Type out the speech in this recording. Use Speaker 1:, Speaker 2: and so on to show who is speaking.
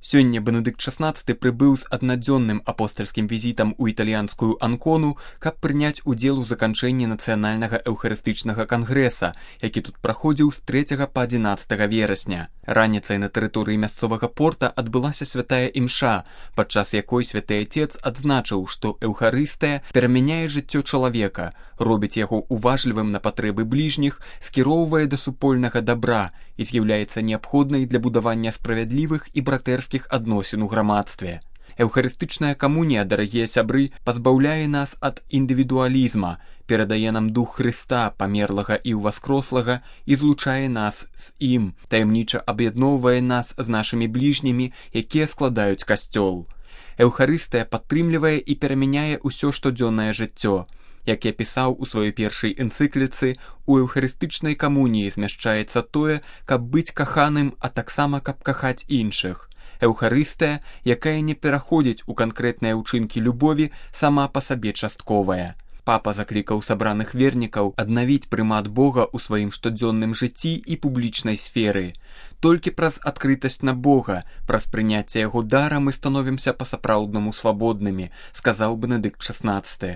Speaker 1: Сёння Бенедыкт XVI прыбыў з аднадзённым апостальскім візітам у італьянскую Анкону, каб прыняць удзел у заканчэнні нацыянальнага эўхарыстычнага кангрэса, які тут праходзіў з 3 па 11 верасня. Раніцай на тэрыторыі мясцовага порта адбылася святая імша, падчас якой святы Атец адзначыў, што эўхарыстыя перамяняе жыццё чалавека, робіць яго уважлівым на патрэбы бліжніх, скіроўвае да супольнага дабра і з'яўляецца неабходнай для будавання справядлівых і братэрскіх адносін у грамадстве. Эўхарыстычная камунія, дарагія сябры, пазбаўляе нас ад індывідуалізма, перадае нам дух Хрыста, памерлага і ўваскрослага, і злучае нас з ім, таямніча аб'ядноўвае нас з нашымі бліжнімі, якія складаюць касцёл. Эўхарыстыя падтрымлівае і перамяняе ўсё штодзённае жыццё. Як я пісаў у сваёй першай энцыкліцы, у эўхарыстычнай камуніі змяшчаецца тое, каб быць каханым, а таксама каб кахаць іншых. Эўхарыстыя, якая не пераходзіць у канкрэтныя ўчынкі любові, сама па сабе частковая. Папа заклікаў сабраных вернікаў аднавіць прымат Бога ў сваім штодзённым жыцці і публічнай сферы. Толькі праз адкрытасць на Бога, праз прыняцце яго дара мы становімся па-сапраўднаму свабоднымі, сказаў Бенедыкт XVI.